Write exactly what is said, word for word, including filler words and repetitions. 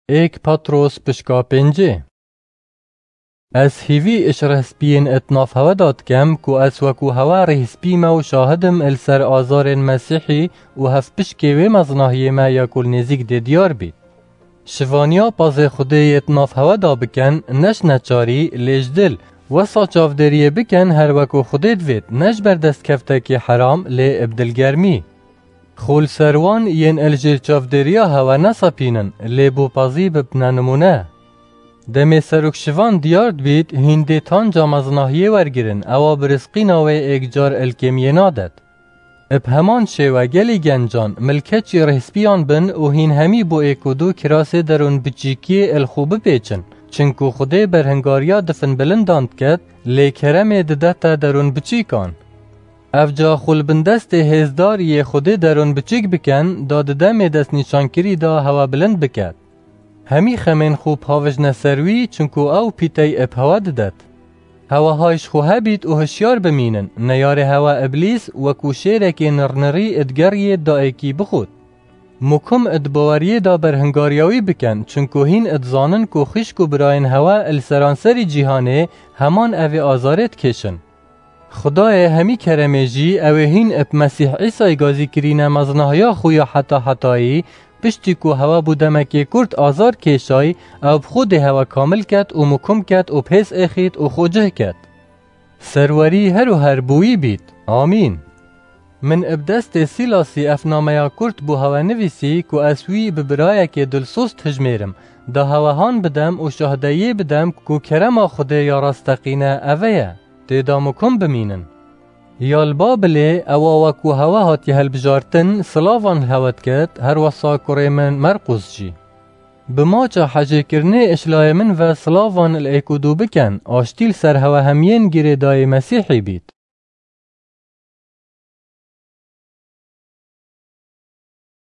Êk Petros pişka pêncê. Ez hîvî ji rihspiyên it nav hewe da dikem ku ez wekû hewe rihspî me û şahid im li ser azarên Mesîhî û hevpişkê wê mezinahiyê me ya ku li nêzîk dê diyar bît. Şivaniya pazê Xwedê yê di nav hewe da bikin, ne ji neçarî, lê ji dil, wesa çavdêriyê bikin her wekû Xwedê divêt, ne ji ber destkeftekî heram, lê bi dilgermî. Xwe li ser wan yên li jêr çavdêriya hewe nesepînin, lê bo pezî bibine nimûne. Demê serok şivan diyar dibît, hîn dê tanca mezinahiyê wergirin, ewa bi rizqîna wê êkcar ilkêmiyê nadet. Bi heman şêwe gelî gencan milkeçî rihspiyan bin û hîn hemî bo êk û du kirasê derûn biçîkiyê il xwe bipêçin, çinku Xwedê berhingariya difin bilindan diket, lê keremê didete derûn biçîkan. Evca xwe li bin destê hêzdar yê Xwedê derûn biçîk bikin, da di demê destnîşankirî de hewe bilind biket. Hemî xemên xwe pavijne ser wî, çinku ew pîtey ib hewe didet. Hewe hay ji xwe hebît û hişyar bimînin, neyarê hewe Iblîs wekû şêrekê nirnirî id geriyê daêkî bixwit. Mukim id baweriyê de berhingariya wî bikin, çinku hîn id zanin ku xwişk û birayên hewe li seranserî cîhanê heman evê azarê dikêşin. Xwedayê hemî keremê jî ew ê hîn ib Mesîh Îsayî gazî kirîne meznahiya xwe ya heta hetayî, piştî ku hewe bû demekê kurt azar kêşay, ew bi xwe dê hewe kamil ket û mukim ket û bi hêz êxît û xwe cih ket. Serwerî her û her bi wî bît. Amîn. Min ib destê Sîlasî ev nameya kurt bo hewe nivîsî ku ez wî bi birayekê dilsoz dijmêrim, da hewe han bidem û şahdeyiyê bidem ku kerema Xwedê ya rasteqîne eve ye, tê de mukim bimînin. Ya li Babilê ewa wekû hewe hatiye hilbijartin, silavan li hewe diket, her wesa kurê min Merqûs jî. Bi maça hejêkirinê ji layê min ve silavan li êk û du bikin, aştî li ser hewe hemiyên girêdayî Mesîhî bît.